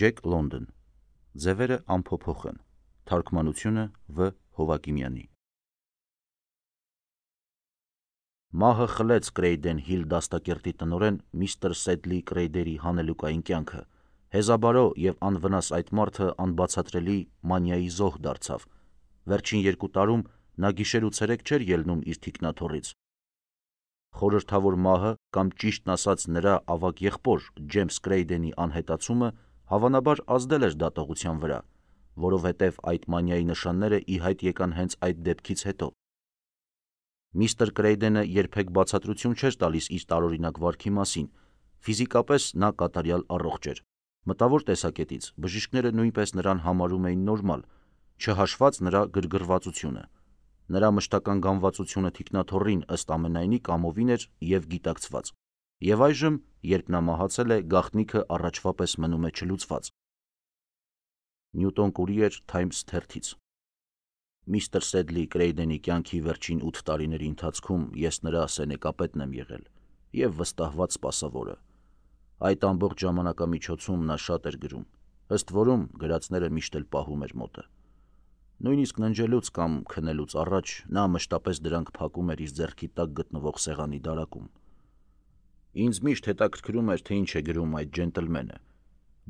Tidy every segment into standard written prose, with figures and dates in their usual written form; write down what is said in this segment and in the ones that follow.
Ջեք Լոնդոն, ձևերը անփոփոխ են, թարգմանությունը Վ. Հովակիմյանի։ Մահը խլեց Կրեյդեն Հիլ դաստակերտի տնօրեն միստր Սեդլի Կրեյդերի հանելուկային կյանքը, հեզաբարո և անվնաս այդ մարդը անբացատրելի մանիայի զոհ դարձավ, վերջին 2 տարում նա գիշեր ու ցերեկ չէր ելնում իր թիկնաթոռից։ Խորհրդավոր մահը կամ ճիշտն ասած նրա ավագ եղբոր Ջեյմս Կրեյդենի անհետացումը հավանաբար ազդել էր դատողության վրա, որովհետև այդ մանիայի նշանները ի հայտ եկան հենց այդ դեպքից հետո։ Միստր Կրեյդենը երբեք բացատրություն չէր տալիս իր տարօրինակ վարքի մասին, ֆիզիկապես նա կատարյալ առողջ էր, մտավոր տեսակետից բժիշկները նույնպես նրան համարում էին նորմալ, չհաշված նրա գրգռվածությունը։ Նրա մշտական գանվածությունը թիկնաթոռին ըստ ամենայնի կամովին էր և գիտակցված, և այժմ, երբ նա մահացել է, գաղտնիքը առաջվա պես մնում է չլուծված։ Նյուտոն Կուրիեր Թայմս թերթից։ Միստր Սեդլի Կրեյդենի կյանքի վերջին 8 տարիների ընթացքում ես նրա սենեկապետն եմ եղել և վստահված սպասավորը։ Այդ ամբողջ ժամանակամիջոցում նա շատ էր գրում, ըստ որում գրածները միշտ էլ պահում էր մոտը։ Նույնիսկ ննջելուց կամ քնելուց առաջ նա մշտապես դրանք փակում էր իր ձեռքի տակ գտնվող սեղանի դարակում։ Ինձ միշտ հետաքրքրում էր, թե ինչ է գրում այդ ջենտլմենը,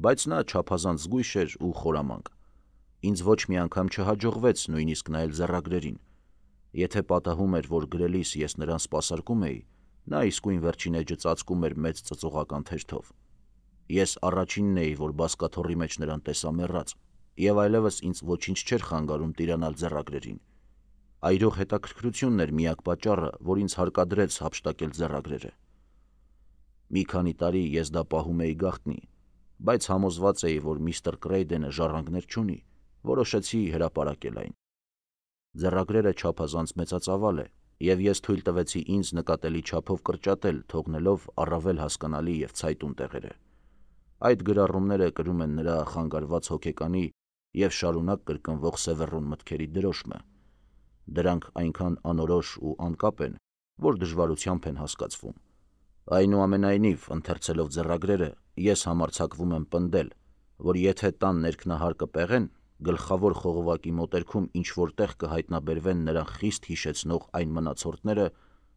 բայց նա չափազանց զգույշ էր ու խորամանկ։ Ինձ ոչ մի անգամ չհաջողվեց նույնիսկ նայել ձեռագրերին։ Եթե պատահում էր, որ գրելիս ես նրան սպասարկում էի, նա իսկույն վերջին էջը ծածկում էր մեծ ծծողական թերթով։ Ես առաջինն էի, որ բազկաթոռի մեջ նրան տեսա մեռած, և այլևս ինձ ոչինչ չէր խանգարում տիրանալ ձեռագրերին։ Այրող հետաքրքրությունն էր միակ պատճառը, որ ինձ հարկադրեց հափշտակել ձեռագրերը։ Մի քանի տարի ես դա պահում էի գաղտնի, բայց համոզված էի, որ միստր Կրեյդենը ժառանգներ չունի, որոշեցի հրապարակել այն։ Ձեռագրերը չափազանց մեծածավալ է, և ես թույլ տվեցի ինձ նկատելի չափով կրճատել, թողնելով առավել հասկանալի և ցայտուն տեղերը։ Այդ գրառումները կրում են նրա խանգարված հոգեկանի և շարունակ կրկնվող սևեռուն մտքերի դրոշմը։ Դրանք այնքան անորոշ ու անկապ են, որ դժվարությամբ են հասկացվում։ Այնուամենայնիվ, ընթերցելով ձեռագրերը, ես համարձակվում եմ պնդել, որ եթե տան ներքնահարկը պեղեն, գլխավոր խողովակի մոտերքում ինչ-որ տեղ կհայտնաբերվեն նրան խիստ հիշեցնող այն մնացորդները,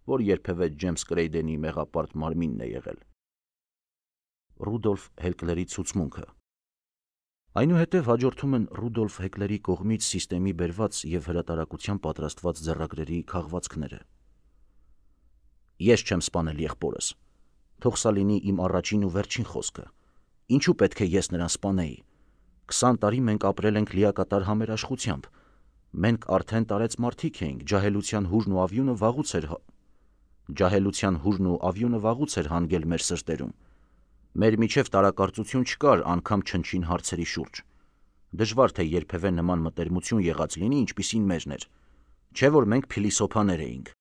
որ երբևէ Ջեյմս Կրեյդենի մեղապարտ մարմինն է եղել։ Ռուդոլֆ Հեքլերի ցուցմունքը։ Այնուհետև հաջորդում են Ռուդոլֆ Հեքլերի կողմից սիստեմի բերված և հրատարակության պատրաստված ձեռագրերի քաղվածքները։ Ես չեմ սպանել եղբորս։ Թող սա լինի իմ առաջին ու վերջին խոսքը։ Ինչու պետք է ես նրան սպանեի։ 20 տարի մենք ապրել ենք լիակատար համերաշխությամբ։ Մենք արդեն տարեց մարդիկ էինք, ջահելության հուրն ու ավյունը վաղուց էր հանգել մեր սրտերում։ Մեր միջև տարակարծություն չկար անգամ չնչին հարցերի շուրջ։ Դժվար թե երբևէ նման մտերմություն եղած լինի, ինչպիսին մերն էր։ Չէ՞ որ մենք փիլիսոփաներ էինք։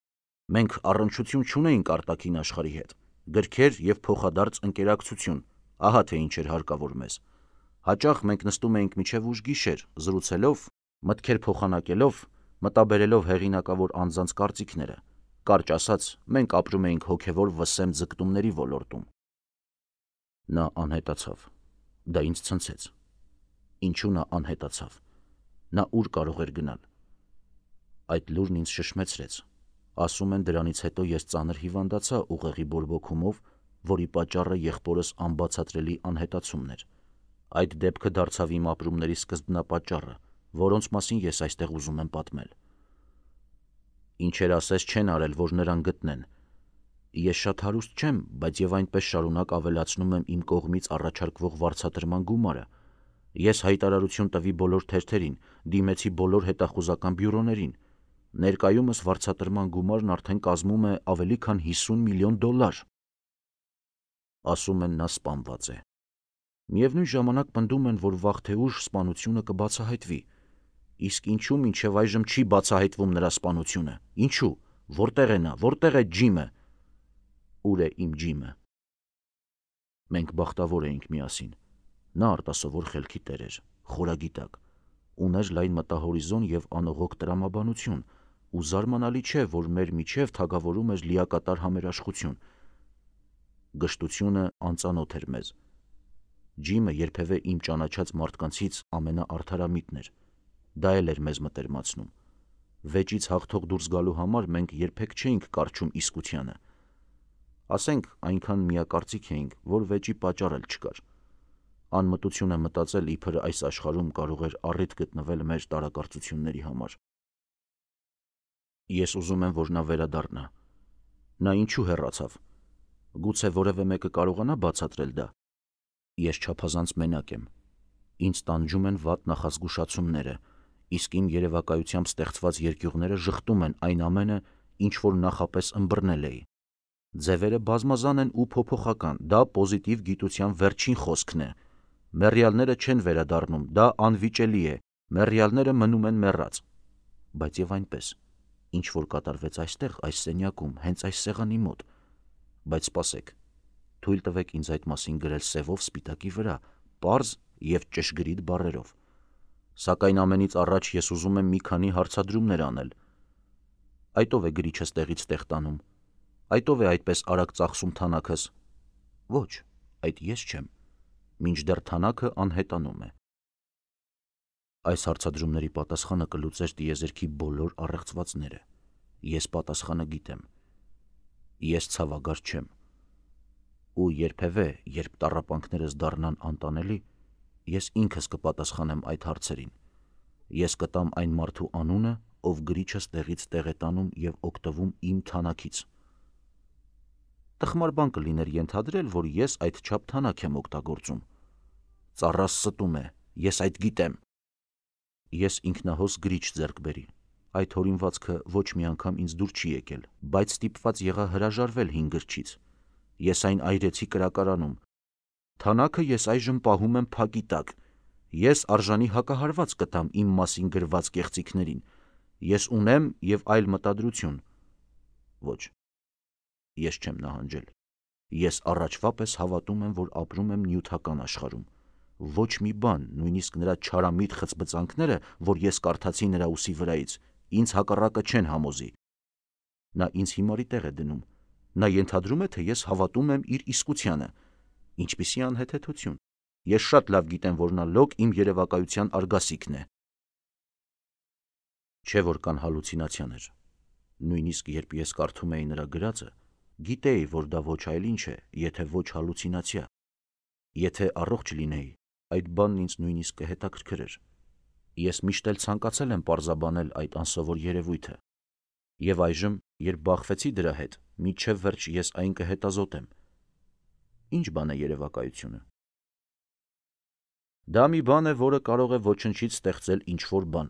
Մենք առնչություն չունեինք արտաքին աշխարհի հետ։ Գրքեր և փոխադարձ ընկերակցություն, ահա թե ինչ էր հարկավոր մեզ։ Հաճախ մենք նստում էինք մինչև ուշ գիշեր, զրուցելով, մտքեր փոխանակելով, մտաբերելով հեղինակավոր անձանց կարծիքները։ Կարճ ասած, մենք ապրում էինք հոգևոր վսեմ ձգտումների ոլորտում։ Նա անհետացավ։ Դա ինձ ցնցեց։ Ինչու նա անհետացավ։ Նա ուր կարող էր գնալ։ Այդ լուրն ինձ շշմեցրեց։ Ասում են, դրանից հետո ես ծանր հիվանդացա ուղեղի բորբոքումով, որի պատճառը եղբորս անբացատրելի անհետացումն էր։ Այդ դեպքը դարձավ իմ ապրումների սկզբնապատճառը, որոնց մասին ես այստեղ ուզում եմ պատմել։ Ինչեր ասես չեն արել, որ նրան գտնեն։ Ես շատ հարուստ չեմ, բայց և այնպես շարունակ ավելացնում եմ իմ կողմից առաջարկվող վարձատրման գումարը։ Ես հայտարարություն տվի բոլոր թերթերին, դիմեցի բոլոր հետախուզական բյուրոներին։ Ներկայումս վարձատրման գումարն արդեն կազմում է ավելի քան $50 միլիոն։ Ասում են, նա սպանված է։ Միևնույն ժամանակ պնդում են, որ վաղ թե ուշ սպանությունը կբացահայտվի։ Իսկ ինչու մինչև այժմ չի բացահայտվում նրա սպանությունը։ Ինչու։ Որտեղ է նա, որտեղ է Ջիմը։ Ուր է իմ Ջիմը։ Մենք բախտավոր էինք միասին։ Նա արտասովոր խելքի տեր էր, խորագիտակ, ուներ լայն մտահորիզոն և անողոք տրամաբանություն, ու զարմանալի չէ, որ մեր միջև թագավորում էր լիակատար համերաշխություն։ Գժտությունը անծանոթ էր մեզ։ Ջիմը երբևէ իմ ճանաչած մարդկանցից ամենաարդարամիտն էր։ Դա էլ էր մեզ մտերմացնում։ Վեճից հաղթող դուրս գալու համար մենք երբեք չէինք կարչում իսկությանը։ Ասենք, այնքան միակարծիք էինք, որ վեճի պատճառ էլ չկար։ Անմտություն է մտածել, իբր այս աշխարհում կարող էր առիթ գտնվել մեր տարակարծությունների համար։ Ես ուզում եմ, որ նա վերադառնա։ Նա ինչու հեռացավ։ Գուցե որևէ մեկը կարողանա բացատրել դա։ Ես չափազանց մենակ եմ։ Ինձ տանջում են վատ նախազգուշացումները, իսկ իմ երևակայությամբ ստեղծված երկյուղները ժխտում են այն ամենը, ինչ որ նախապես ըմբռնել էի։ Ձևերը բազմազան են ու փոփոխական, դա պոզիտիվ գիտության վերջին խոսքն է։ Մեռյալները չեն վերադառնում, դա անվիճելի է, մեռյալները մնում են մեռած։ Բայց եւ այնպես, ինչ որ կատարվեց այստեղ, այս սենյակում, հենց այս սեղանի մոտ։ Բայց սպասեք, թույլ տվեք ինձ այդ մասին գրել սևով սպիտակի վրա, պարզ եւ ճշգրիտ բառերով։ Սակայն ամենից առաջ ես ուզում եմ մի քանի հարցադրումներ անել։ Այդ ով է գրիչս տեղից տեղ տանում։ Այդ ով է այդպես արագ ծախսում թանաքս։ Ոչ, այդ ես չեմ։ Մինչդեռ թանաքը անհետանում է։ Այս հարցադրումների պատասխանը կլուծեր տիեզերքի բոլոր առեղծվածները։ Ես պատասխանը գիտեմ։ Ես ցավագար չեմ։ Ու երբևէ, երբ տառապանքներս դառնան անտանելի, ես ինքս կպատասխանեմ այդ հարցերին։ Ես կտամ այն մարդու անունը, ով գրիչս տեղից տեղ է տանում եւ օգտվում իմ թանաքից։ Տխմար բան կլիներ ենթադրել, որ ես այդ չափ թանաք եմ օգտագործում։ Ծառաս ստում է, ես այդ գիտեմ։ Ես ինքնահոս գրիչ ձեռք բերի։ Այդ հորինվածքը ոչ մի անգամ ինձ դուր չի եկել, բայց ստիպված եղա հրաժարվել հին գրչից։ Ես այն այրեցի կրակարանում։ Թանաքը ես այժմ պահում եմ փակի տակ։ Ես արժանի հակահարված կտամ իմ մասին գրված կեղծիքներին։ Ես ունեմ եւ այլ մտադրություն։ Ոչ, ես չեմ նահանջել։ Ես առաջվա պես հավատում եմ, որ ապրում եմ նյութական աշխարհում։ Ոչ մի բան, նույնիսկ նրա չարամիտ խցբծանքները, որ ես կարդացի նրա ուսի վրայից, ինձ հակառակը չեն համոզի։ Նա ինձ հիմարի տեղ է դնում։ Նա ենթադրում է, թե ես հավատում եմ իր իսկությանը։ Ինչպիսի անհեթեթություն։ Ես շատ լավ գիտեմ, որ նա լոկ իմ երևակայության արգասիքն է։ Չէ՞ որ կան հալուցինացիաներ։ Նույնիսկ երբ ես կարդում էի նրա գրածը, գիտեի, որ դա ոչ այլ ինչ է, եթե ոչ հալուցինացիա։ Եթե առողջ լինեի, այդ բանն ինձ նույնիսկ կհետաքրքրեր։ Ես միշտ էլ ցանկացել եմ պարզաբանել այդ անսովոր երևույթը։ Եվ այժմ, երբ բախվեցի դրա հետ, մինչև վերջ ես այն կհետազոտեմ։ Ինչ բան է երևակայությունը։ Դա մի բան է, որը կարող է ոչնչից ստեղծել ինչ-որ բան։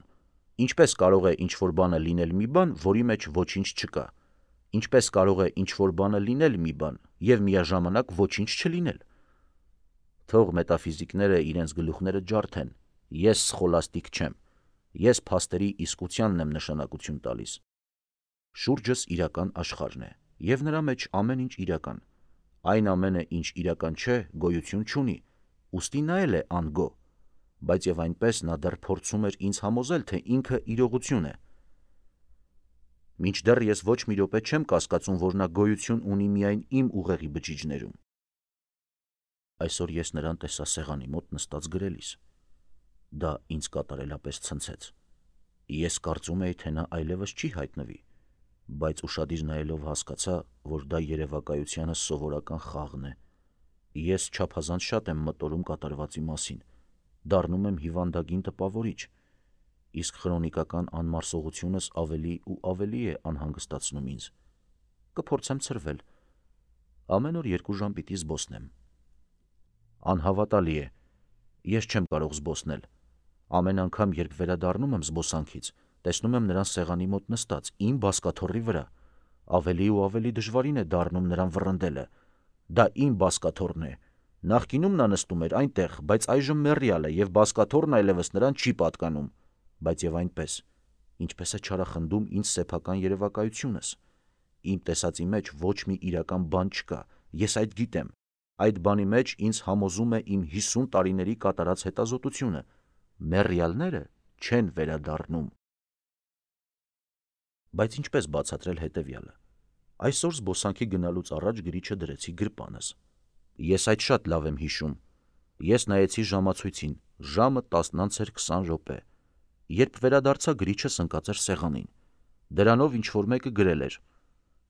Ինչպես կարող է ինչ-որ բանը լինել մի բան, որի մեջ ոչինչ չկա։ Ինչպես կարող է ինչ-որ բանը լինել մի բան եւ միաժամանակ ոչինչ չլինել։ Թող մետաֆիզիկները իրենց գլուխները ջարդեն։ Ես սխոլաստիկ չեմ։ Ես փաստերի իսկությանն եմ նշանակություն տալիս։ Շուրջս իրական աշխարհն է, եւ նրա մեջ ամեն ինչ իրական։ Այն ամենը, ինչ իրական չէ, գոյություն չունի, ուստի նա էլ է անգո, բայց եւ այնպես նա դեռ փորձում էր ինձ համոզել, թե ինքը իրողություն է։ Մինչդեռ ես ոչ մի րոպե չեմ կասկածում, որ նա գոյություն ունի միայն իմ ուղեղի բջիջներում։ Այսօր ես նրան տեսա սեղանի մոտ նստած գրելիս։ Դա ինձ կատարելապես ցնցեց։ Ես կարծում էի, թե նա այլևս չի հայտնվի, բայց ուշադիր նայելով հասկացա, որ դա երևակայությանս սովորական խաղն է։ Ես չափազանց շատ եմ մտորում կատարվածի մասին, դառնում եմ հիվանդագին տպավորիչ, իսկ քրոնիկական անմարսողությունս ավելի ու ավելի է անհանգստացնում ինձ։ Կփորձեմ ցրվել։ Ամեն օր 2 ժամ պիտի զբոսնեմ։ Անհավատալի է։ Ես չեմ կարող զբոսնել։ Ամեն անգամ, երբ վերադառնում եմ զբոսանքից, տեսնում եմ նրան սեղանի մոտ նստած, իմ բազկաթոռի վրա։ Ավելի ու ավելի դժվարին է դառնում նրան վռնդելը։ Դա իմ բազկաթոռն է։ Նախկինում նա նստում էր այնտեղ, բայց այժմ մեռյալ է եւ բազկաթոռն այլևս նրան չի պատկանում։ Բայց եւ այնպես, ինչպես է չարախնդում ինձ սեփական երևակայությունս։ Իմ տեսածի մեջ ոչ մի իրական բան չկա։ Ես այդ գիտեմ։ Այդ բանի մեջ ինձ համոզում է իմ 50 տարիների կատարած հետազոտությունը։ Մեռյալները չեն վերադառնում։ Բայց ինչպես բացատրել հետևյալը։ Այսօր զբոսանքի գնալուց առաջ գրիչը դրեցի գրպանս։ Ես այդ շատ լավ եմ հիշում։ Ես նայեցի ժամացույցին, ժամը 10:20 Երբ վերադարձա, գրիչս ընկած էր սեղանին։ Դրանով ինչ-որ մեկը գրել էր.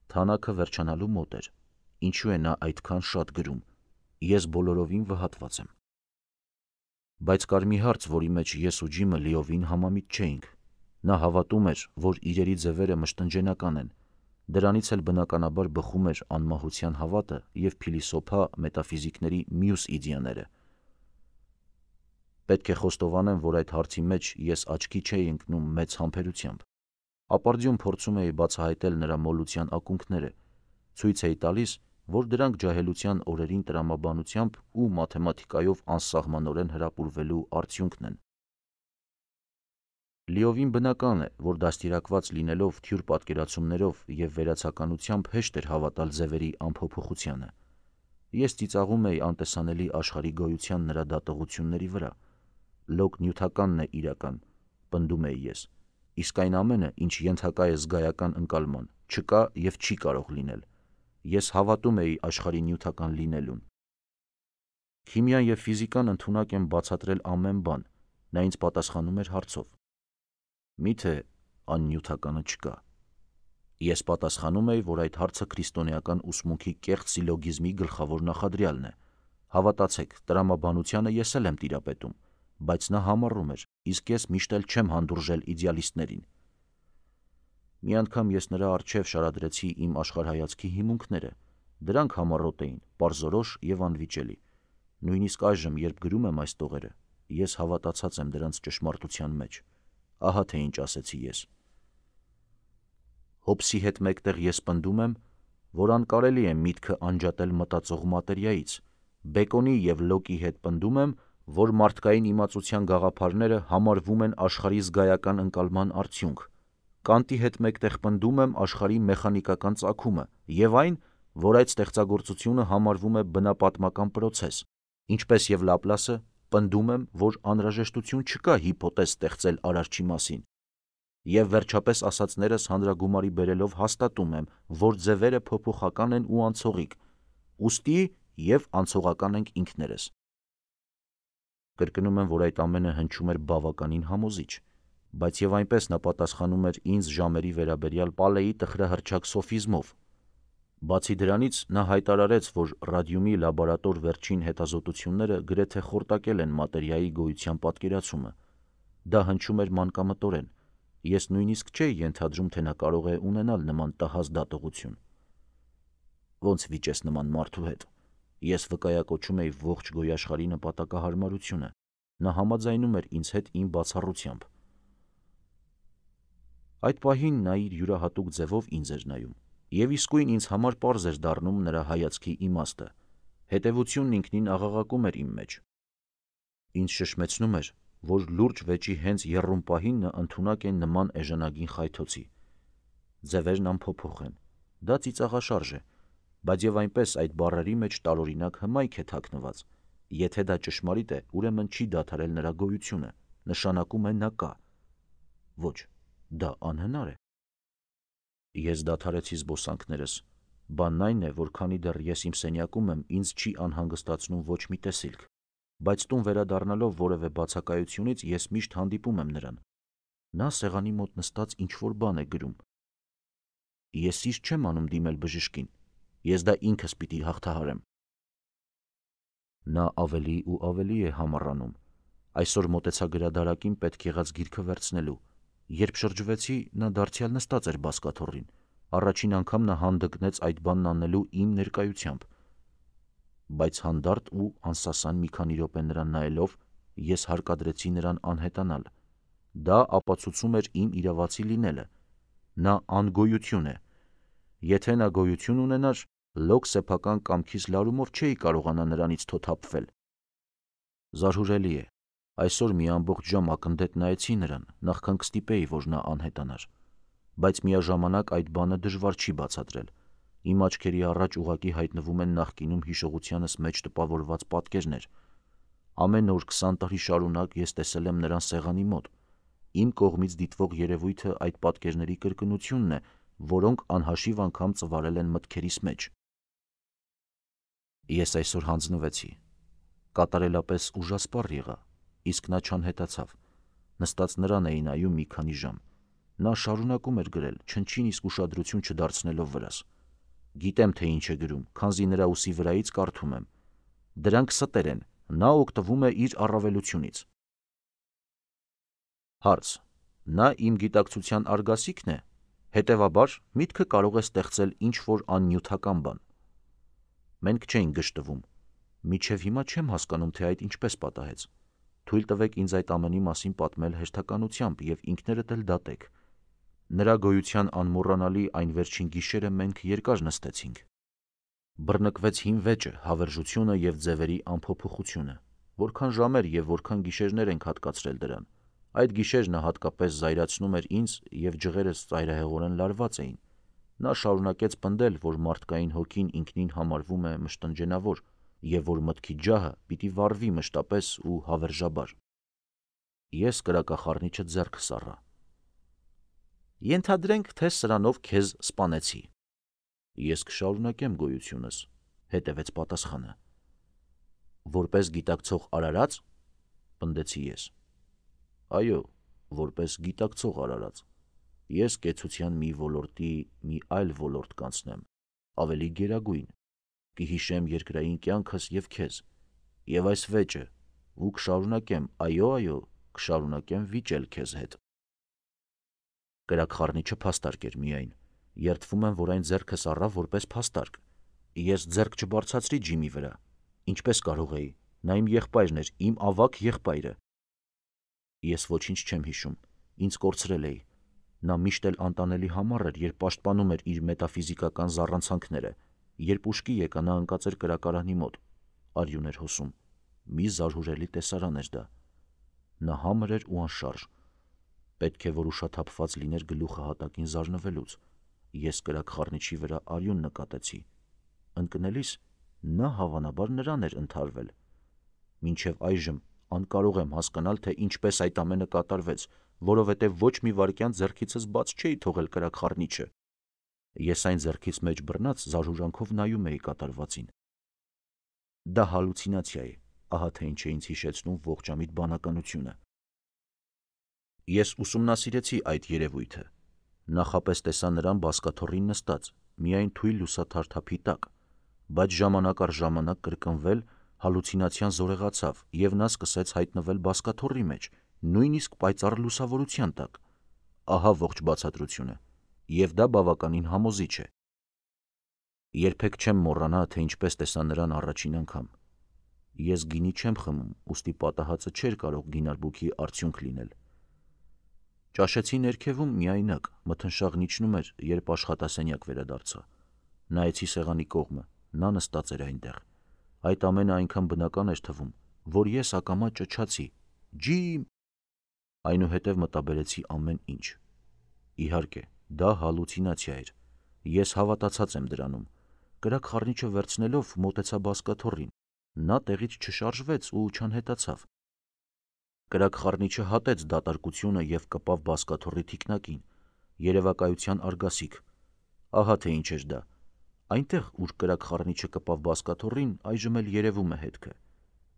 թանակը վերջանալու մոտ էր, ինչու է նա այդքան շատ գրում, ես բոլորովին վհատված եմ։ Բայց կար մի հարց, որի մեջ ես ու Ջիմը լիովին համամիտ չէինք։ Նա հավատում էր, որ իրերի ձևերը մշտնջենական են, դրանից էլ բնականաբար բխում էր անմահության հավատը և փիլիսոփա մետաֆիզիկների մյուս իդեաները։ Պետք է խոստովանեմ, որ այդ հարցի մեջ ես աչքի չէի ընկնում մեծ համբերությամբ։ Ապարդյուն փորձում էի բացահայտել նրա մոլության ակունքները, ցույց էի տալիս, որ դրանք ջահելության օրերին տրամաբանությամբ ու մաթեմատիկայով անսահմանորեն հրապուրվելու արդյունքն են։ Լիովին բնական է, որ դաստիարակված լինելով թյուր պատկերացումներով և վերացականությամբ հեշտ էր հավատալ ձևերի անփոփոխությանը։ Ես ծիծաղում էի անտեսանելի աշխարհի գոյության նրա դատողությունների վրա։ Լոկ նյութականն է իրական, պնդում էի ես, իսկ այն ամենը, ինչ ենթակա է զգայական ընկալման, չկա և չի կարող լինել։ Ես հավատում էի աշխարհի նյութական լինելուն։ Քիմիան և ֆիզիկան ընդունակ են բացատրել ամեն բան, նա ինձ պատասխանում էր հարցով. Միթե աննյութականը չկա։ Ես պատասխանում էի, որ այդ հարցը քրիստոնեական ուսմունքի կեղծ սիլոգիզմի գլխավոր նախադրյալն է։ Հավատացեք, տրամաբանությանը ես էլ եմ տիրապետում, բայց նա համառում էր, իսկ ես միշտ էլ չեմ հանդուրժել իդեալիստներին։ Մի անգամ ես նրա առջև շարադրեցի իմ աշխարհայացքի հիմունքները, դրանք համառոտ էին, պարզորոշ և անվիճելի։ Նույնիսկ այժմ, երբ գրում եմ այս տողերը, ես հավատացած եմ դրանց ճշմարտության մեջ։ Ահա թե ինչ ասեցի ես. Հոբսի հետ մեկտեղ ես պնդում եմ, որ անկարելի է միտքը անջատել մտածող մատերիայից, Բեկոնի և Լոկի հետ պնդում եմ, որ մարդկային իմացության գաղափարները համարվում են աշխարհի զգայական ընկալման արդյունք, Կանտի հետ մեկտեղ պնդում եմ աշխարհի մեխանիկական ծագումը և այն, որ այդ ստեղծագործությունը համարվում է բնապատմական պրոցես, ինչպես և Լապլասը, պնդում եմ, որ անհրաժեշտություն չկա հիպոթեզ ստեղծել Արարչի մասին, և վերջապես ասածներս հանրագումարի բերելով հաստատում եմ, որ ձևերը փոփոխական են ու անցողիկ, ուստի և անցողական ենք ինքներս։ Կրկնում եմ, որ այդ ամենը հնչում էր բավականին համոզիչ, բայց և այնպես նա պատասխանում էր ինձ ժամերի վերաբերյալ Պալեի տխրահռչակ սոֆիզմով։ Բացի դրանից, նա հայտարարեց, որ ռադիումի լաբորատոր վերջին հետազոտությունները գրեթե խորտակել են մատերիայի գոյության պատկերացումը։ Դա հնչում էր մանկամտորեն, ես նույնիսկ չէի ենթադրում, թե նա կարող է ունենալ նման տհազ դատողություն։ Ոնց վիճես նման մարդու հետ։ Ես վկայակոչում էի ողջ գոյաշխարհի նպատակահարմարությունը, նա համաձայնում էր ինձ հետ իմ բացառությամբ։ Այդ պահին նա իր յուրահատուկ ձևով ինձ էր նայում, և իսկույն ինձ համար պարզ էր դառնում նրա հայացքի իմաստը, հետևությունն ինքնին աղաղակում էր իմ մեջ։ Ինձ շշմեցնում էր, որ լուրջ վեճի հենց եռում պահին նա ընդունակ է նման էժանագին խայթոցի։ Ձևերն անփոփոխ են, դա ծիծաղաշարժ է, բայց և այնպես այդ բառերի մեջ տարօրինակ հմայք է թաքնված, եթե դա ճշմարիտ է, ուրեմն չի դադարել նրա գոյությունը, նշանակում է նա կա։ Ոչ, դա անհնար է։ Ես դադարեցի զբոսանքներս, բանն այն է, որ քանի դեռ ես իմ սենյակում եմ, ինձ չի անհանգստացնում ոչ մի տեսիլք, բայց տուն վերադառնալով որևէ բացակայությունից ես միշտ հանդիպում եմ նրան։ Նա սեղանի մոտ նստած ինչ-որ բան է գրում։ Ես իր չեմ անում դիմել բժշկին, ես դա ինքս պիտի հաղթահարեմ։ Նա ավելի ու ավելի է համառանում։ Այսօր մոտեցա գրադարակին պետք եղած գիրքը վերցնելու։ Երբ շրջվեցի, նա դարձյալ նստած էր բազկաթոռին։ Առաջին անգամ նա հանդգնեց այդ բանն անելու իմ ներկայությամբ։ Բայց հանդարտ ու անսասան մի քանի րոպե նրան նայելով, ես հարկադրեցի նրան անհետանալ։ Դա ապացուցում էր իմ իրավացի լինելը։ Նա անգոյություն է։ Եթե նա գոյություն ունենար, լոկ սեփական կամքիս լարումով չէի կարողանա նրանից թոթափվել։ Զարհուրելի է։ Այսօր մի ամբողջ ժամ ակնթեթ նայեցի նրան, նախքան կստիպեի, որ նա անհետանար։ Բայց միաժամանակ այդ բանը դժվար չի բացատրել։ Իմ աչքերի առաջ ուղղակի հայտնվում են նախկինում հիշողությանս մեջ տպավորված պատկերներ։ Ամեն օր 20 տարի շարունակ ես տեսել եմ նրան սեղանի մոտ։ Իմ կողմից դիտվող երևույթը այդ պատկերների կրկնությունն է, որոնք անհաշիվ անգամ ծվարել են մտքերիս մեջ։ Ես այսօր հանձնվեցի։ կատարելապես ուժասպառ եղա, իսկ նա չանհետացավ։ Նստած նրան էի նայում մի քանի ժամ։ Նա շարունակում էր գրել, չնչին իսկ ուշադրություն չդարձնելով վրաս։ Գիտեմ, թե ինչ է գրում, քանզի նրա ուսի վրայից կարդում եմ։ Դրանք ստեր են, նա օգտվում է իր առավելությունից։ Հարց. նա իմ գիտակցության արգասիքն է, հետևաբար միտքը կարող է ստեղծել ինչ-որ աննյութական բան։ Մենք չէինք գժտվում։ Մինչև հիմա չեմ հասկանում, թե այդ ինչպես պատահեց։ Թույլ տվեք ինձ այդ ամենի մասին պատմել հերթականությամբ և ինքներդ էլ դատեք։ Նրա գոյության անմոռանալի այն վերջին գիշերը մենք երկար նստեցինք։ Բռնկվեց հին վեճը, հավերժությունը և ձևերի անփոփոխությունը։ Որքան ժամեր և որքան գիշերներ ենք հատկացրել դրան։ Այդ գիշեր նա հատկապես զայրացնում էր ինձ և ջղերս ծայրահեղորեն լարված էին։ Նա շարունակեց պնդել, որ մարդկային հոգին ինքնին համարվում է մշտնջենավոր և որ մտքի ջահը պիտի վառվի մշտապես ու հավերժաբար։ Ես կրակախառնիչը ձեռքս առա։ Ենթադրենք, թե սրանով քեզ սպանեցի։ Ես կշարունակեմ գոյությունս, հետևեց պատասխանը։ Որպես գիտակցող արարած, պնդեցի ես։ Այո, որպես գիտակցող արարած։ Ես կեցության մի ոլորտի մի այլ ոլորտ կանցնեմ, ավելի գերագույն, կհիշեմ երկրային կյանքս և քեզ, և այս վեճը, ու կշարունակեմ, այո, կշարունակեմ վիճել քեզ հետ։ Կրակխառնիչը փաստարկ էր միայն, երդվում եմ, որ այն ձեռքս առա որպես փաստարկ։ Ես ձեռք չբարձրացրի Ջիմի վրա, ինչպես կարող էի, նա իմ եղբայրն էր, իմ ավագ եղբայրը։ Ես ոչինչ չեմ հիշում, ինձ կորցրել էի։ Նա միշտ էլ անտանելի համառ էր, երբ պաշտպանում էր իր մետաֆիզիկական զառանցանքները։ Երբ ուշքի եկա, նա ընկած էր կրակարանի մոտ, արյուն էր հոսում։ Մի զարհուրելի տեսարան էր դա։ Նա համր էր ու անշարժ։ Պետք է, որ ուշաթափված լիներ գլուխը հատակին զարնվելուց։ Ես կրակխառնիչի վրա արյուն նկատեցի։ Ընկնելիս նա հավանաբար նրան էր ընդհարվել։ Մինչև այժմ անկարող եմ հասկանալ, թե ինչպես այդ ամենը կատարվեց, որովհետև ոչ մի վայրկյան ձեռքիցս բաց չէի թողել կրակխառնիչը։ Ես այն ձեռքից մեջ բռնած զարհուրանքով նայում էի կատարվածին։ Դա հալուցինացիա է, ահա թե ինչ է ինձ հիշեցնում ողջամիտ բանականությունը։ Ես ուսումնասիրեցի այդ երևույթը։ Նախապես տեսա նրան բազկաթոռին նստած, միայն թույլ լուսաթարթափի տակ, բայց ժամանակ առ ժամանակ կրկնվել, հալուցինացիան զորեղացավ, և նա սկսեց հայտնվել բազկաթոռի մեջ, նույնիսկ պայծառ լուսավորության տակ։ Ահա ողջ բացատրությունը, և դա բավականին համոզիչ է։ Երբեք չեմ մոռանա, թե ինչպես տեսա նրան առաջին անգամ։ Ես գինի չեմ խմում, ուստի պատահածը չէր կարող գինարբուքի արդյունք լինել։ Ճաշեցի ներքևում միայնակ, մթնշաղն իջնում էր, երբ աշխատասենյակ վերադարձա։ Նայեցի սեղանի կողմը, նա նստած էր այնտեղ։ Այդ ամենը այնքան բնական էր թվում, որ ես ակամա ճչացի. «Ջիմ»։ Այնուհետև մտաբերեցի ամեն ինչ։ Իհարկե, դա հալուցինացիա էր։ Ես հավատացած եմ դրանում։ Կրակխառնիչը վերցնելով մոտեցա բազկաթոռին։ Նա տեղից չշարժվեց ու չանհետացավ։ Կրակխառնիչը հատեց դատարկությունը և կպավ բազկաթոռի թիկնակին։ Երևակայության արգասիկ։ Ահա թե ինչ էր դա։ Այնտեղ, ուր կրակխառնիչը կպավ բազկաթոռին, այժմ էլ երևում է հետքը։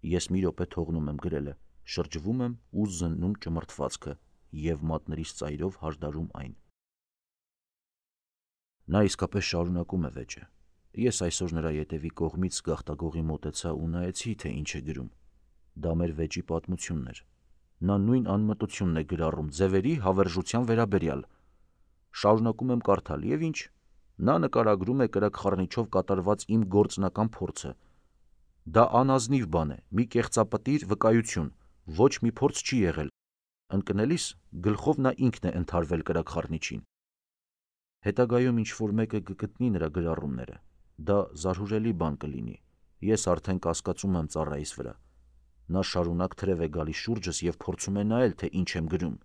Ես մի րոպե թողնում եմ գրելը, շրջվում եմ ու զննում ճմրթվածքը և մատներիս ծայրով հարդարում այն։ Նա իսկապես շարունակում է վեճը։ Ես այսօր նրա ետևի կողմից գաղտագողի մոտեցա ու նայեցի, թե ինչ է գրում։ Դա մեր վեճի պատմությունն էր։ Նա նույն անմտությունն է գրառում ձևերի հավերժության վերաբերյալ։ Շարունակում եմ կարդալ, և ինչ։ Նա նկարագրում է կրակխառնիչով կատարված իմ գործնական փորձը։ Դա անազնիվ բան է, մի կեղծապտիր վկայություն, ոչ մի փորձ չի եղել։ Ընկնելիս գլխով նա ինքն է ընդհարվել կրակխառնիչին։ Հետագայում ինչ-որ մեկը կգտնի նրա գրառումները։ Դա զարհուրելի բան կլինի։ Ես արդեն կասկածում եմ ծառայիս վրա։ Նա շարունակ թրև է գալիս շուրջս և փորձում է նայել, թե ինչ եմ գրում։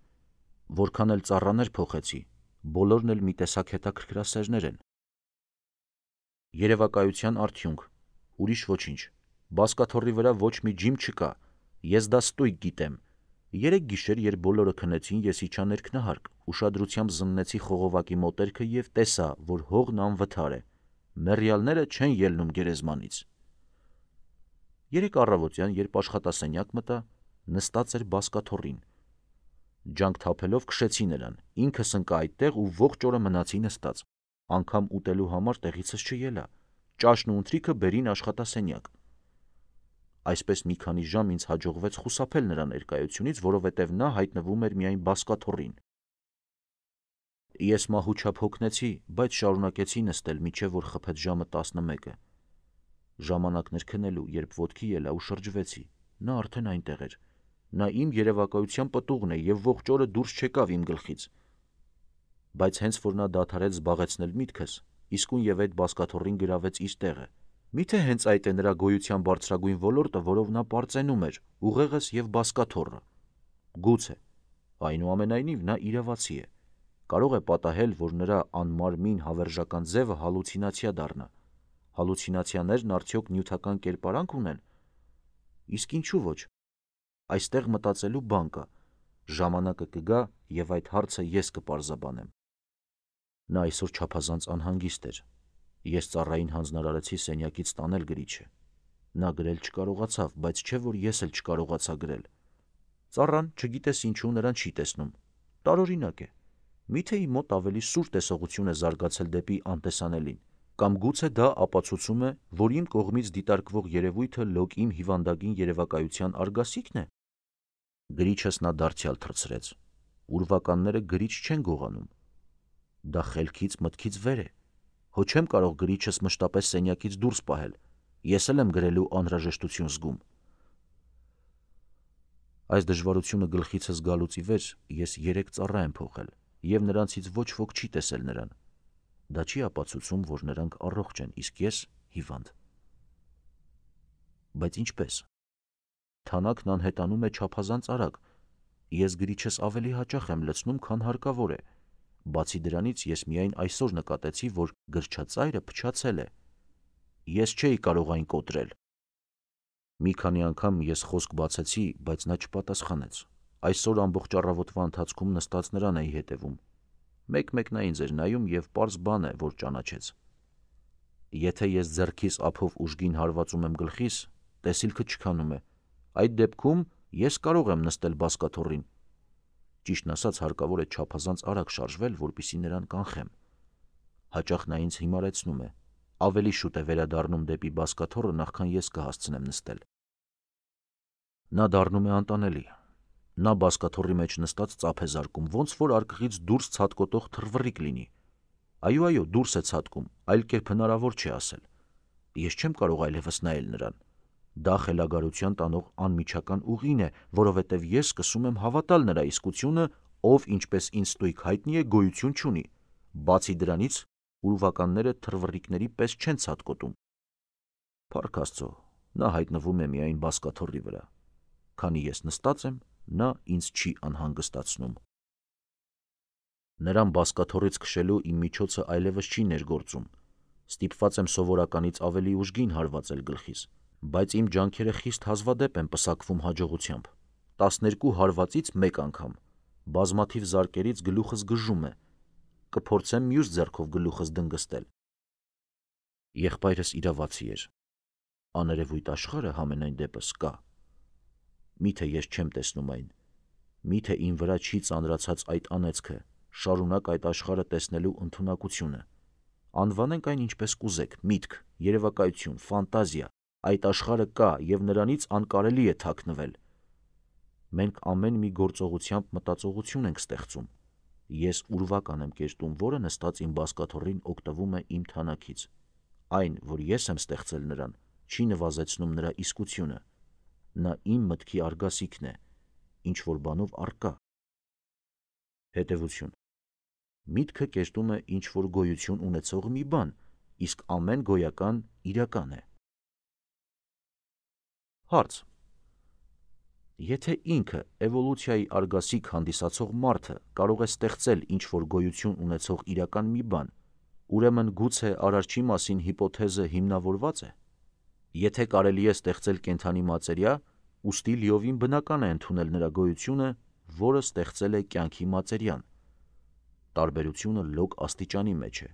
Որքան էլ ծառաներ փոխեցի, բոլորն էլ մի տեսակ հետաքրքրասերներ են։ Երևակայության արդյունք։ Ուրիշ ոչինչ։ Բազկաթոռի վրա ոչ մի ջիմ չկա։ Ես դա ստույգ գիտեմ։ Երեկ գիշեր, երբ բոլորը քնեցին, ես իջա ներքնահարկ, ուշադրությամբ զննեցի խողովակի մոտերքը և տեսա, որ հողն անվթար է։ Մեռյալները չեն ելնում գերեզմանից։ Երեկ առավոտյան, երբ աշխատասենյակ մտա, նստած էր բազկաթոռին։ Ջանք թափելով քշեցի նրան, ինքս ընկա այդտեղ ու ողջ օրը մնացի նստած, անգամ ուտելու համար տեղիցս չելա, ճաշն ու ընթրիքը բերին աշխատասենյակ։ Այսպես մի քանի ժամ ինձ հաջողվեց խուսափել նրա ներկայությունից, որովհետև նա հայտնվում էր միայն բազկաթոռին։ Ես մահուչափ հոգնեցի, բայց շարունակեցի նստել, մինչև որ խփեց ժամը 11-ը։ Ժամանակն էր քնելու, երբ ոտքի ելա ու շրջվեցի, նա արդեն այնտեղ էր։ Նա իմ երևակայության պտուղն է և ողջ օրը դուրս չեկավ իմ գլխից։ Բայց հենց որ նա դադարեց զբաղեցնել միտքս, իսկույն և այդ բազկաթոռին գրավեց իր տեղը։ Միթե հենց այդ է նրա գոյության բարձրագույն ոլորտը, որով նա պարծենում էր, ուղեղս և բազկաթոռը։ Գուցե, այնուամենայնիվ նա իրավացի է։ Կարող է պատահել, որ նրա անմարմին հավերժական ձևը հալուցինացիա դառնա։ Հալուցինացիաներն արդյոք նյութական կերպարանք ունեն։ Իսկ ինչու ոչ։ Այստեղ մտածելու բան կա։ Ժամանակը կգա, և այդ հարցը ես կպարզաբանեմ։ Նա այսօր չափազանց անհանգիստ էր։ Ես ծառային հանձնարարեցի սենյակից տանել գրիչը։ Նա գրել չկարողացավ, բայց չէ որ ես էլ չկարողացա գրել։ Ծառան, չգիտես ինչու, նրան չի տեսնում։ Տարօրինակ է։ Միթե իմ մոտ ավելի սուր տեսողություն է զարգացել դեպի անտեսանելին, կամ գուցե դա ապացուցում է, որ իմ կողմից դիտարկվող երևույթը լոկ իմ հիվանդագին երևակայության արգասիքն է։ Գրիչս նա դարձյալ թռցրեց։ Ուրվականները գրիչ չեն գողանում։ Դա խելքից մտքից վեր է։ Հո չեմ կարող գրիչս մշտապես սենյակից դուրս պահել։ Ես էլ եմ գրելու անհրաժեշտություն զգում։ Այս դժվարությունը գլխիցս գալուց ի վեր ես 3 ծառա եմ փոխել, և նրանցից ոչ ոք չի տեսել նրան։ Դա չի ապացուցում, որ նրանք առողջ են, իսկ ես հիվանդ։ Բայց ինչպես։ Թանաքն անհետանում է չափազանց արագ։ Ես գրիչս ավելի հաճախ եմ լցնում, քան հարկավոր է։ Բացի դրանից ես միայն այսօր նկատեցի, որ գրչածայրը փչացել է։ Ես չէի կարող այն կոտրել։ Մի քանի անգամ ես խոսք բացեցի, բայց նա չպատասխանեց։ Այսօր ամբողջ առավոտվա ընթացքում նստած նրան էի հետևում։ Մեկ-մեկ նա ինձ էր նայում և պարզ բան է, որ ճանաչեց։ Եթե ես ձեռքիս ափով ուժգին հարվածում եմ գլխիս, տեսիլքը չքանում է։ Այդ դեպքում ես կարող եմ նստել բազկաթոռին։ Ճիշտն ասած, հարկավոր է չափազանց արագ շարժվել, որպեսզի նրան կանխեմ։ Հաճախ նա ինձ հիմարեցնում է։ Ավելի շուտ է վերադառնում դեպի բազկաթոռը, նախքան ես կհասցնեմ նստել։ Նա դառնում է անտանելի։ Նա բազկաթոռի մեջ նստած ծափ է զարկում, ոնց որ արկղից դուրս ցատկոտող թռվռիկ լինի։ Այո, դուրս է ցատկում, այլ կերպ հնարավոր չէ ասել։ Ես չեմ կարող այլևս նայել նրան։ Դա խելագարության տանող անմիջական ուղին է, որովհետև ես սկսում եմ հավատալ նրա իսկությունը, ով, ինչպես ինձ ստույգ հայտնի է, գոյություն չունի։ Բացի դրանից, ուրվականները թռվռիկների պես չեն ցատկոտում։ Փառք Աստծո, նա հայտնվում է միայն բազկաթոռի վրա։ Քանի ես նստած եմ, նա ինձ չի անհանգստացնում։ Նրան բազկաթոռից քշելու իմ միջոցը այլևս չի ներգործում։ Ստիպված եմ սովորականից ավելի ուժգին հարվածել գլխիս, բայց իմ ջանքերը խիստ հազվադեպ են պսակվում հաջողությամբ։ 12 հարվածից մեկ անգամ։ Բազմաթիվ զարկերից գլուխս գժում է։ Կփորձեմ մյուս ձեռքով գլուխս դնգստել։ Եղբայրս իրավացի էր։ Աներևույթ աշխարհը համենայն դեպս կա։ Միթե ես չեմ տեսնում այն։ Միթե իմ վրա չի ծանրացած այդ անեծքը, շարունակ այդ աշխարհը տեսնելու ընդունակությունը։ Անվանենք այն ինչպես կուզեք՝ միտք, երևակայություն, ֆանտազիա։ Այդ աշխարհը կա և նրանից անկարելի է թաքնվել։ Մենք ամեն մի գործողությամբ մտածողություն ենք ստեղծում։ Ես ուրվական եմ կերտում, որը նստած իմ բազկաթոռին օգտվում է իմ թանաքից։ Այն, որ ես եմ ստեղծել նրան, չի նվազեցնում նրա իսկությունը։ Նա իմ մտքի արգասիքն է, ինչ-որ բանով առկա։ Հետևություն. միտքը կերտում է ինչ-որ գոյություն ունեցող մի բան, իսկ ամեն գոյական իրական է։ Հարց. Եթե ինքը էվոլյուցիայի արգասիք հանդիսացող մարդը կարող է ստեղծել ինչ-որ գոյություն ունեցող իրական մի բան, ուրեմն գուցե Արարչի մասին հիպոթեզը հիմնավորված է։ Եթե կարելի է ստեղծել կենդանի մատերիա, ուստի լիովին բնական է ընդունել նրա գոյությունը, որը ստեղծել է կյանքի մատերիան։ Տարբերությունը լոկ աստիճանի մեջ է։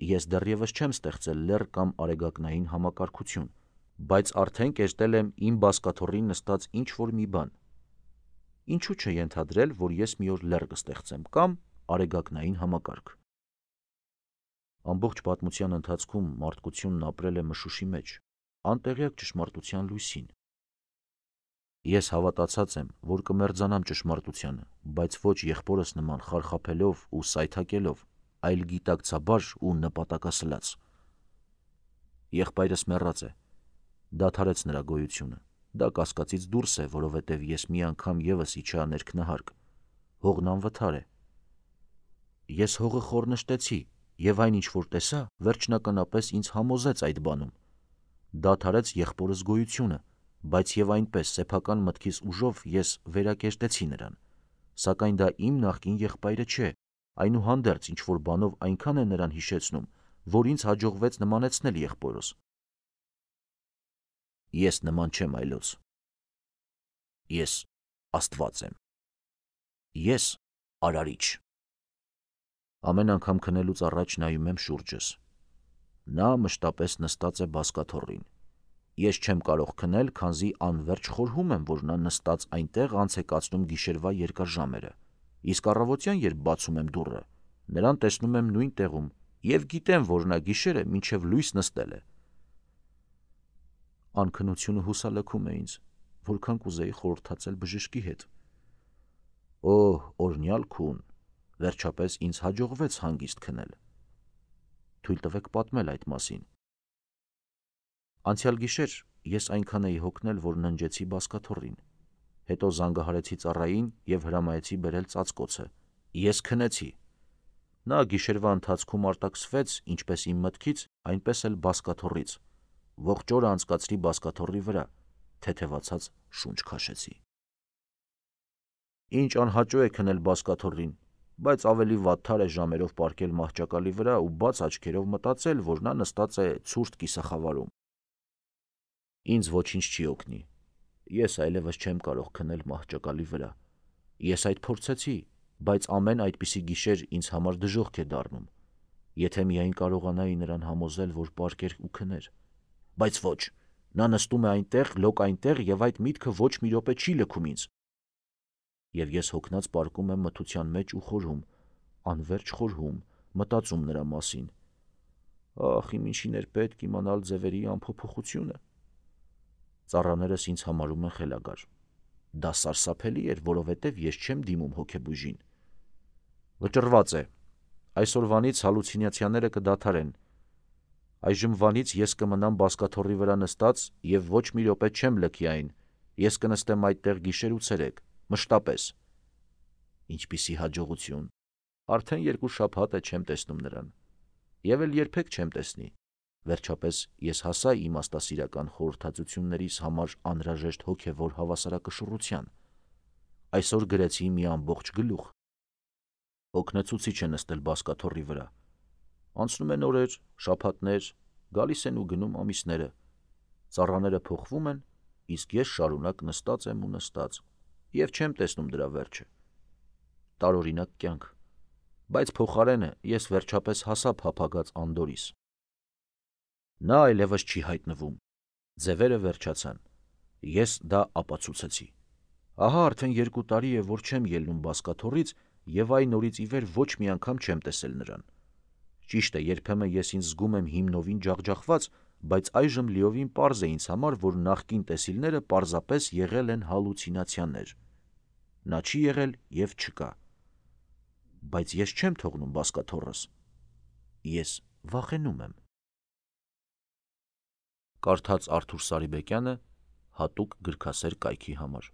Ես դեռևս չեմ ստեղծել լեռ կամ արեգակնային համակարգություն, բայց արդեն կերտել եմ իմ բազկաթոռին նստած ինչ-որ մի բան։ Ինչու՞ չենթադրել, որ ես մի օր լեռ կստեղծեմ կամ արեգակնային համակարգ։ Ամբողջ պատմության ընթացքում մարդկությունն ապրել է մշուշի մեջ, անտեղյակ ճշմարտության լույսին։ Ես հավատացած եմ, որ կմերձանամ ճշմարտությանը, բայց ոչ եղբորս նման խարխափելով ու սայթաքելով, այլ գիտակցաբար ու նպատակասլաց։ Եղբայրս մեռած է, դադարեց նրա գոյությունը, դա կասկածից դուրս է, որովհետև ես մի անգամ ևս իջա ներքնահարկ, հողն անվթար է։ Ես հողը խորնշտեցի, և այն ինչ որ տեսա, վերջնականապես ինձ համոզեց այդ բանում, դադարեց եղբորս գոյությունը, բայց և այնպես սեփական մտքիս ուժով ես վերակերտեցի նրան, սակայն դա իմ նախկին եղբայրը չէ, այնուհանդերձ ինչ-որ բանով այնքան է նրան հիշեցնում, որ ինձ հաջողվեց նմանեցնել եղբորս։ Ես նման չեմ այլոց։ Ես Աստված եմ։ Ես Արարիչ։ Ամեն անգամ քնելուց առաջ նայում եմ շուրջս։ Նա մշտապես նստած է բազկաթոռին։ Ես չեմ կարող քնել, քանզի անվերջ խորհում եմ, որ նա նստած այնտեղ անց է կացնում գիշերվա երկար ժամերը, իսկ առավոտյան, երբ բացում եմ դուռը, նրան տեսնում եմ նույն տեղում և գիտեմ, որ նա գիշերը մինչև լույս նստել է։ Անքնությունը հուսալքում է ինձ, որքան կուզեի խորհրդացել բժշկի հետ։ Օհ, օրհնյալ քուն, վերջապես ինձ հաջողվեց հանգիստ քնել։ Թույլ տվեք պատմել այդ մասին։ Անցյալ գիշեր ես այնքան էի հոգնել, որ ննջեցի բազկաթոռին, հետո զանգահարեցի ծառային և հրամայեցի բերել ծածկոցը։ Ես քնեցի։ Նա գիշերվա ընթացքում արտաքսվեց ինչպես իմ մտքից, այնպես էլ բազկաթոռից։ Ողջ օրը անցկացրի բազկաթոռի վրա, թեթևացած շունչ քաշեցի։ Ինչ անհաճո է քնել բազկաթոռին, բայց ավելի վատթար է ժամերով պառկել մահճակալի վրա ու բաց աչքերով մտածել, որ նա նստած է ցուրտ կիսախավարում։ Ինձ ոչինչ չի օգնի։ Ես այլևս չեմ կարող քնել մահճակալի վրա։ Ես այդ փորձեցի, բայց ամեն այդպիսի գիշեր ինձ համար դժոխք է դառնում։ Եթե միայն կարողանայի նրան համոզել, որ պառկեր ու քներ։ Բայց ոչ, նա նստում է այնտեղ, լոկ այնտեղ և այդ միտքը ոչ մի րոպե չի լքում ինձ։ Եվ ես հոգնած պառկում եմ մթության մեջ ու խորհում, անվերջ խորհում, մտածում նրա մասին։ Ախ, իմ ինչին էր պետք իմանալ ձևերի անփոփոխությունը։ Ծառաներս ինձ համարում են խելագար։ Դա սարսափելի էր, որովհետև ես չեմ դիմում հոգեբույժին։ Վճռված է։ Այսօրվանից հալուցինացիաները կդադարեն։ Այժմվանից ես կմնամ բազկաթոռի վրա նստած և ոչ մի րոպե չեմ լքի այն։ Ես կնստեմ այդտեղ գիշեր ու ցերեկ, մշտապես։ Ինչպիսի հաջողություն։ Արդեն 2 շաբաթ է չեմ տեսնում նրան։ Եվ էլ երբեք չեմ տեսնի։ Վերջապես ես հասա իմաստասիրական խորհրդածություններիս համար անհրաժեշտ հոգևոր հավասարակշռության։ Այսօր գրեցի մի ամբողջ գլուխ։ Օգնեցուցիչ է նստել բազկաթոռի վրա։ Անցնում են օրեր, շաբաթներ, գալիս են ու գնում ամիսները։ Ծառաները փոխվում են, իսկ ես շարունակ նստած եմ ու նստած, և չեմ տեսնում դրա վերջը։ Տարօրինակ կյանք։ Բայց փոխարենը ես վերջապես հասա փափագած Անդորիս։ Նա այլևս չի հայտնվում։ Ձևերը վերջացան։ Ես դա ապացուցեցի։ Ահա արդեն 2 տարի է, որ չեմ ելնում բազկաթոռից և այն օրից ի վեր ոչ մի անգամ չեմ տեսել նրան։ Ճիշտ է, երբեմն ես ինձ զգում եմ հիմնովին ջախջախված, բայց այժմ լիովին պարզ է ինձ համար, որ նախկին տեսիլները պարզապես եղել են հալուցինացիաներ։ Նա չի եղել և չկա։ Բայց ես չեմ թողնում բազկաթոռս։ Ես վախենում եմ։ Կարդաց Արթուր Սարիբեկյանը հատուկ գրքասեր կայքի համար։